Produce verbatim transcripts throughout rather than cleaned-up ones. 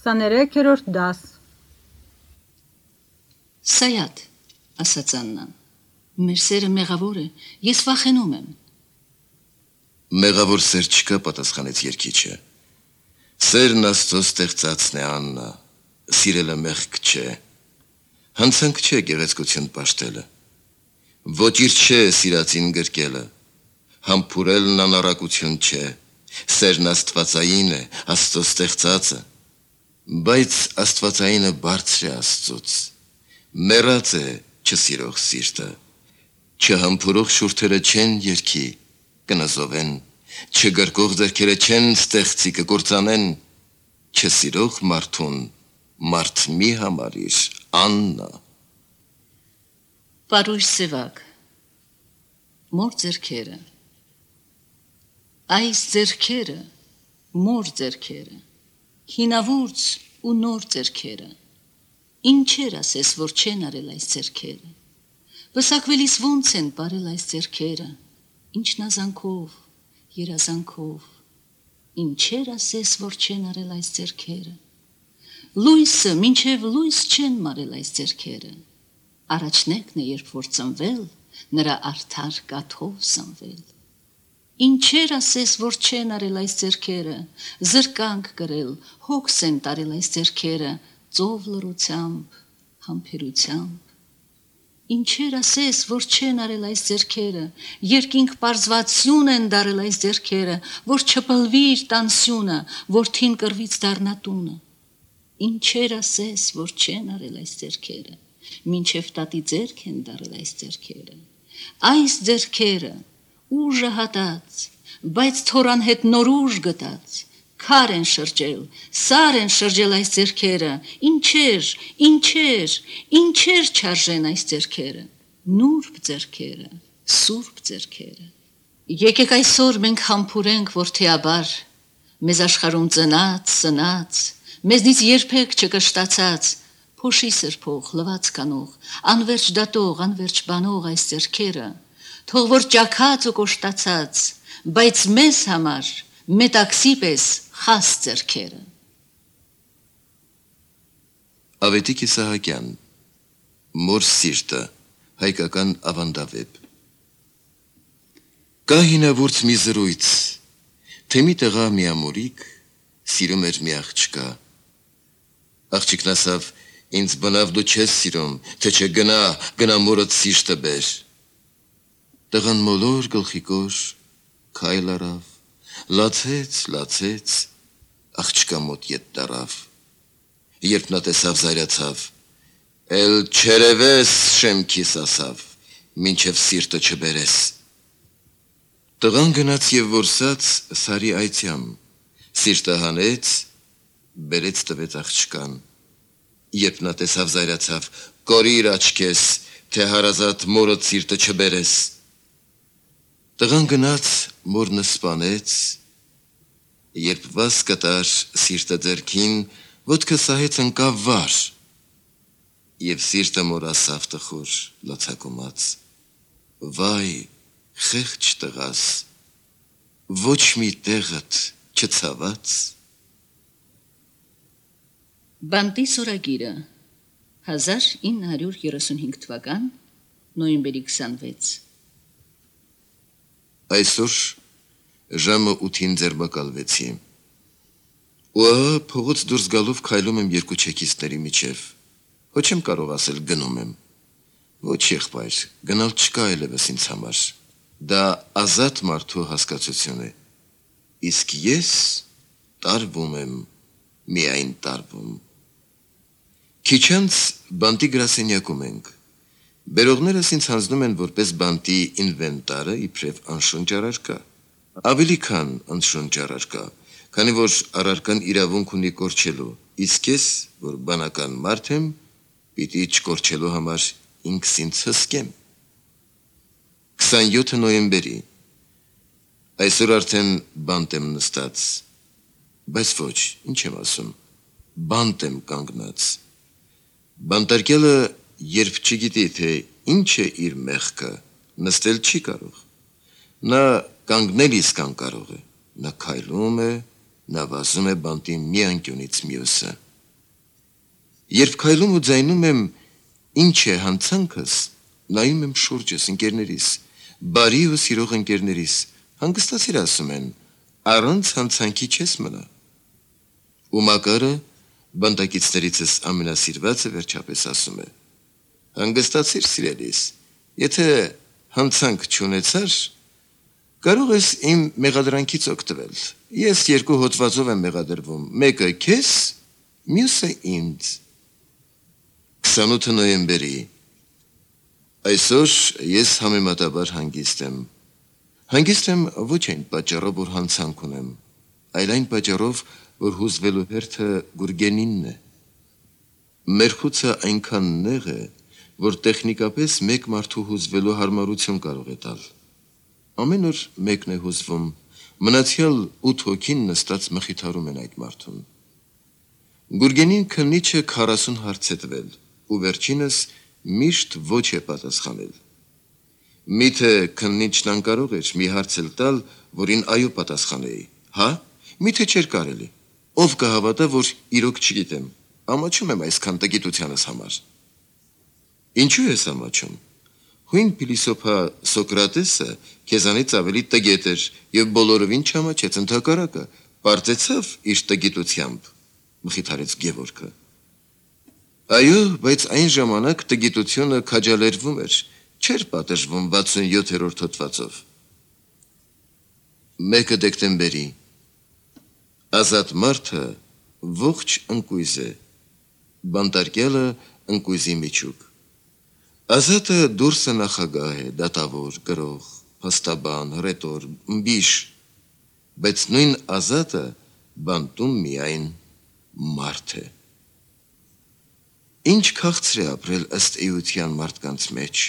քսաներեքերորդ դաս Սայաթ, ասաց Աննան, մեր սերը մեղավոր է, ես վախենում եմ։ Մեղավոր սեր չկա, պատասխանեց երգիչը։ Սերն Աստծո ստեղծածն է, Աննա, սիրելը մեղք չէ։ Հանցանք չէ գեղեցկություն պաշտելը։ Ոչիր չէ սիրածին գրկելը։ Համբուրելն անառակություն չէ։ Սերն աստվածային է, Աստծո ստեղծածը։ Բայց աստվածայինը բարձր է Աստծուց։ Մեռած է չսիրող սիրտը։ Չհամբուրող շուրթերը չեն երգի, կնզովեն, չգրկող ձեռքերը չեն ստեղծի կկործանեն, չսիրող մարդուն մարդ մի համարիր, Աննա։ Պարույր սևակ, մոր ձեռքերը, այս ձեռքերը, մոր ձեռքերը, հինավուրց ու նոր ձեռքերը, ինչեր ասես, որ չեն արել այս ձեռքերը, վսակվելիս ոնց են բարել այս ձեռքերը, ինչնազանքով, երազանքով, ինչեր ասես, որ չեն արել այս ձեռքերը, լույսը մինչև լույս չեն մարել այս ձեռքերը, առաջնեկն է, երբ որ ծնվել, նրա արդար կաթով սնվել, ինչեր ասես, որ չեն արել այս ձեռքերը, զրկանք կրել, հոգս են տարել այս ձեռքերը, ծով լռությամբ, համբերությամբ, ինչեր ասես, որ չեն արել այս ձեռքերը, երկինք պարզվացյուն են դարել այս ձեռքերը, որ չպլվի իր տանսյունը, որ թին կրվից դառնա տունը, ինչեր ասես, որ չեն արել այս ձեռքերը, մինչև տատի ձեռք են դարել այս ձեռքերը, այս ձեռքերը, ուժը հատած, բայց թորան հետ նոր ուժ գտած, քար են շրջել, սար են շրջել այս ձեռքերը, ինչեր, ինչեր, ինչեր չարժեն այս ձեռքերը, նուրբ ձեռքերը, սուրբ ձեռքերը։ Եկեք այսօր մենք համբուրենք որդեաբար, մեզ աշխարհում ծնած, սնած, մեզնից երբեք չկշտացած, փոշի սրբող, լվաց կանող, անվերջ դատող, անվերջ բանող այս ձեռքերը, թող որ ճաքած ու կոշտացած, բայց մեզ համար մետաքսի պես խաս ձեռքերը։ Ավետիք Իսահակյան, Մոր սիրտը, հայկական ավանդավեպ։ Կա հինավուրց մի զրույց, թե մի տղա մի ամորիկ սիրում էր մի աղջկա։ Աղջիկն ասավ, ինձ բնավ դու չես սիրում, թե չէ գնա, գնա մորդ սիրտը բեր։ Տղան մոլոր գլխիկոր քայլ արավ, լացեց, լացեց, աղջկա մոտ ետ դարավ։ Երբ նա տեսավ զայրացավ, էլ չերևես շեմքիս ասավ, մինչև սիրտը չբերես։ Տղան գնաց և որսաց սարի այցյամ, սիրտը հանեց, բերեց տվեց աղջկան։ Երբ նա տեսավ զայրացավ, կորիր աչքես, թե հարազատ մորդ սիրտը չբերես։ Տղան գնաց, մորնը սպանեց, երբ վաս կտար սիրտը ձեռքին, ոտքը սահեց ընկավ վար, և սիրտը մոր ասավ տխուր, լացակումած, վայ, խեղճ տղաս, ոչ մի տեղդ չցաված։ Բանտի սորագիրը, հազար ինը հարյուր երեսունհինգ թվական, նոյեմբերի քսանվեց։ Այսօր ժամը ութին ձերբակալվեցի։ Ու ահա փողոց դուրս գալով քայլում եմ երկու չեքիստների միջև։ Ոչ եմ կարող ասել գնում եմ։ Ոչ եղբայր, գնալ չկա այլևս ինձ համար։ Դա ազատ մարդու հասկացություն է։ Իսկ ես տարվում եմ, միայն տարվում։ Քիչ անց բանտի գրասենյակում ենք։ Բերողներս ինձ հանձնում են որպես բանտի ինվենտարը իբրև անշունչ առարկա։ Ավելի քան անշունչ առարկա, քանի որ առարկան իրավունք ունի կորչելու, իսկ ես, որ բանական մարդ եմ, պիտի չկորչելու համար ինքս ինձ հսկեմ։ քսանյոթ նոյեմբերի, այսօր արդեն բանտ եմ նստած, բայց ոչ, ինչ եմ ասում, բանտ եմ կանգնած։ Բանտարկյալը երբ չգիտի, թե ինչ է իր մեղքը, նստել չի կարող։ Նա կանգնել իսկ անկարող է, նա քայլում է, նա վազում է բանտի մի անկյունից մյուսը։ Երբ քայլում ու ձայնում եմ, ինչ է հանցանքս, նայում եմ շուրջս ընկերներիս, բարի ու սիրող ընկերներիս, հանգստացիր ասում են, առանց հանցանքի չես մնա։ Ու Մակարը բանտակիցներիցս ամենասիրվածը վերջապես ասում է. հանգստացիր սիրելիս, եթե հանցանք չունեցար, կարող ես իմ մեղադրանքից օգտվել։ Ես երկու հոդվածով եմ մեղադրվում, մեկը քեզ, մյուսը ինձ։ քսանութ նոյեմբերի Այսօր ես համեմատաբար հանգիստ եմ։ Հանգիստ եմ ոչ այն պատճառով, որ հանցանք ունեմ, այլ այն պատճառով, որ հուզվելու հերթը Գուրգենինն է։ Մեր խուցը այնքան նեղ է, որ տեխնիկապես մեկ մարդու հուզվելու հարմարություն կարող է տալ։ Ամեն օր մեկն է հուզվում, մնացյալ ութ հոգին նստած մխիթարում են այդ մարդուն։ Գուրգենին քննիչը քառասուն հարց է տվել, ու վերջինս միշտ ոչ է պատասխանել։ Միթե քննիչն անկարող էր մի հարց էլ տալ, որին այո պատասխանեի։ Հա, միթե չէր կարելի։ Ով կհավատա, որ իրոք չգիտեմ, ամաչում եմ այսքան տգիտությանս համար։ Ինչու ես ամաչում։ Հույն փիլիսոփա Սոկրատեսը քեզանից ավելի տգետ էր եւ բոլորովին չամաչեց, ընդհակառակը պարծեցավ իր տգիտությամբ, մխիթարեց Գևորգը։ Այո, բայց այն ժամանակ տգիտությունը քաջալերվում էր, չէր պատժվում վաթսունյոթերորդ հոդվածով։ Մեկը դեկտեմբերի Ազատ մարդը ողջ ընկույզ է, բանտարկյալը ընկույզի միջուկ։ Ազատը դուրսը նախագահ է, դատավոր, գրող, փաստաբան, հռետոր, ըմբիշ, բայց նույն ազատը բանտում միայն մարդ է։ Ինչ քաղցր է ապրել ըստ էության մարդկանց մեջ։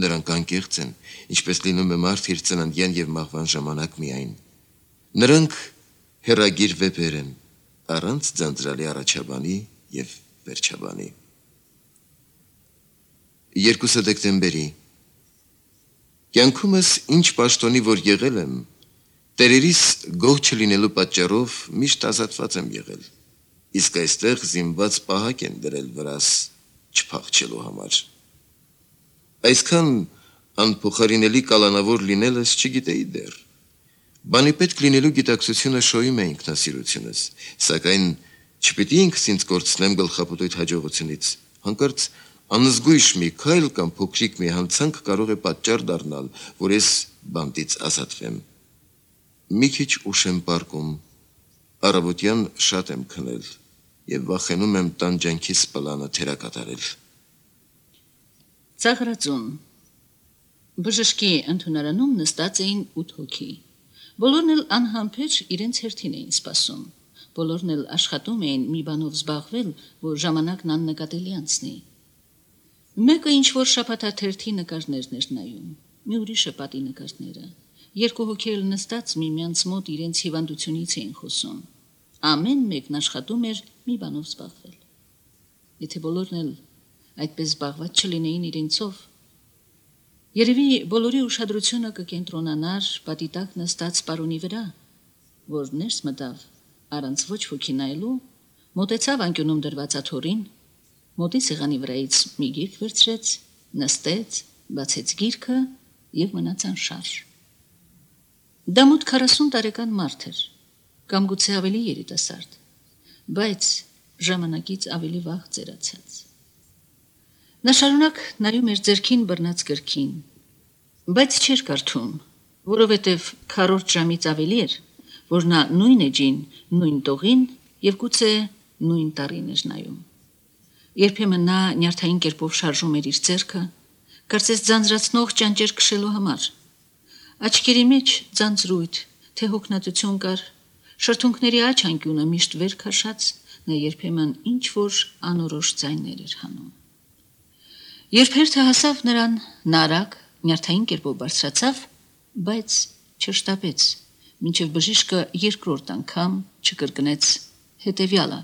Նրանք անկեղծ են, ինչպես լինում է մարդ իր ծննդյան եւ մահվան ժամանակ միայն։ Նրանք հերագիր վեպեր են, առանց ձանձրալի առաջաբանի եւ վերջաբանի։ Երկուսը դեկտեմբերի Կյանքումս ինչ պաշտոնի որ եղել եմ, տերերիս գող չլինելու պատճառով միշտ ազատված եմ եղել, իսկ այստեղ զինված պահակ են դրել վրաս չփախչելու համար։ Այսքան անփոխարինելի կալանավոր լինելս չգիտեի դեռ։ Բանի պետք լինելու գիտակցությունը շոյում է ինքնասիրությունս, սակայն չպիտի ինքս ինձ կորցնեմ գլխապտույտ հաջողությունից, հանկարծ անզգույշ մի քայլ կամ փոքրիկ մի հանցանք կարող է պատճառ դառնալ, որ ես բանտից ազատվեմ։ Մի քիչ ուշ եմ պառկում, առավոտյան շատ եմ քնել եւ վախենում եմ տանջանքիս պլանը թերակատարել։ Ծաղրածուն Բժշկի ընդունարանում նստած էին ութ հոգի։ Բոլորն էլ անհամբեր իրենց հերթին էին սպասում։ Բոլորն էլ աշխատում էին մի բանով զբաղվել, որ ժամանակն աննկատելի անցնի։ Մեկը ինչ-որ շաբաթաթերթի նկարներն էր նայում, մի ուրիշը պատի նկարները։ Երկու հոգի էլ նստած միմյանց մոտ իրենց հիվանդությունից էին խոսում։ Ամեն մեկն աշխատում էր մի բանով զբաղվել։ Եթե բոլորն էլ այդպես զբաղված չլինեին իրենցով, երևի բոլորի ուշադրությունը կկենտրոնանար պատի տակ նստած պարոնի վրա, որ ներս մտավ առանց ոչ ոքի նայելու, մոտեցավ անկյունում դրված աթոռին, մոտի սեղանի վրայից մի գիրք վերցրեց, նստեց, բացեց գիրքը եւ մնաց անշարժ։ Դա մոտ քառասուն տարեկան մարդ էր, կամ գուցե ավելի երիտասարդ, բայց ժամանակից ավելի վաղ ծերացած։ Նա շարունակ նայում էր ձեռքին բռնած գրքին, բայց չէր կարդում, որովհետև քառորդ ժամից ավելի էր, որ նա նույն էջին, նույն տողին եւ գուցե նույն տարին էր նայում։ Երբեմն նա նյարդային կերպով շարժում էր իր ձեռքը, կարծես ձանձրացնող ճանճեր քշելու համար։ Աչքերի մեջ ձանձրույթ, թե հոգնածություն կար, շրթունքների աջ անկյունը միշտ վեր քաշած, նա երբեմն ինչ որ անորոշ ձայներ էր հանում։ Երբ հերթը հասավ նրան, նա արագ նյարդային կերպով բարձրացավ, բայց չշտապեց, մինչև բժիշկը երկրորդ անգամ չկրկնեց հետևյալը։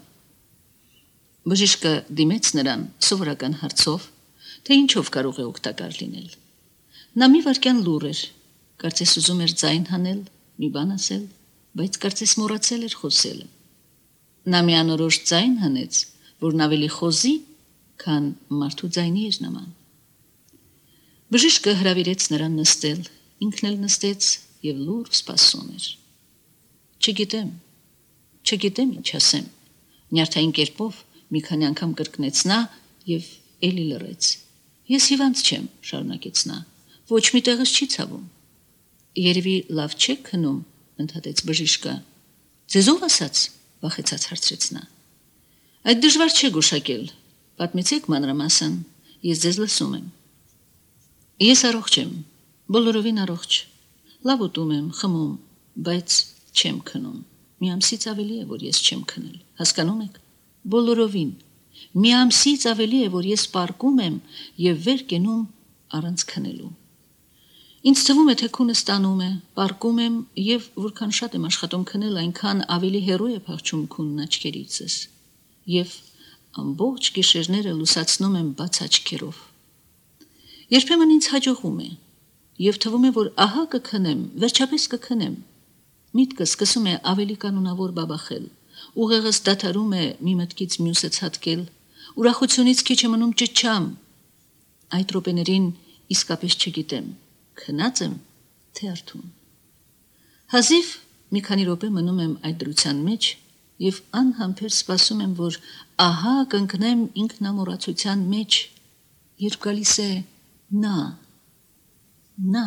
Բժիշկը դիմեց նրան սովորական հարցով, թե ինչով կարող է օգտակար լինել։ Նա մի վայրկյան լուռ էր, կարծես ուզում էր ձայն հանել, մի բան ասել, բայց կարծես մոռացել էր խոսելը։ Նա մի անորոշ ձայն հանեց, որն ավելի խոզի, քան մարդու ձայնի էր նման։ Բժիշկը հրավիրեց նրան նստել, ինքն էլ նստեց եւ լուր սպասում էր։ Չգիտեմ, չգիտեմ ինչ ասեմ, նյարդային կերպով մի քանի անգամ կրկնեց նա եւ էլի լռեց։ Ես հիվանդ չեմ, շարունակեց նա, ոչ մի տեղս չի ցավում։ Երևի լավ չեք քնում, ընդհատեց բժիշկը։ Ձեզ ով ասաց, վախեցած հարցրեց նա։ Այդ դժվար չէ գուշակել, պատմեցեք մանրամասն, ես ձեզ լսում եմ։ Ես առողջ եմ, բոլորովին առողջ, լավ ուտում եմ, խմում, բայց չեմ քնում։ Մի ամսից ավելի է, որ ես չեմ քնել, հասկանում եք, բոլորովին։ Մի ամսից ավելի է, որ ես պարկում եմ եւ վեր կենում առանց քնելու։ Ինձ թվում է, թե քունը ստանում է, պարկում եմ եւ որքան շատ եմ աշխատում քնել, այնքան ավելի հեռու է փախչում քունն աչքերիցս եւ ամբողջ գիշերները լուսացնում եմ բաց աչքերով։ Երբեմն ինձ հաջողում է եւ թվում է, որ ահա կքնեմ, վերջապես կքնեմ։ Միտքը սկսում է ավելի կանոնավոր բաբախել, ուղեղս դադարում է մի մտքից մյուսը ցատկել, ուրախությունից քիչ է մնում ճչամ։ Այդ րոպեներին իսկապես չգիտեմ, քնած եմ, թե արթուն։ Հազիվ մի քանի րոպե մնում եմ այդ դրության մեջ եւ անհամբեր սպասում եմ, որ ահա կընկնեմ ինքնամոռացության մեջ, երբ գալիս է նա, նա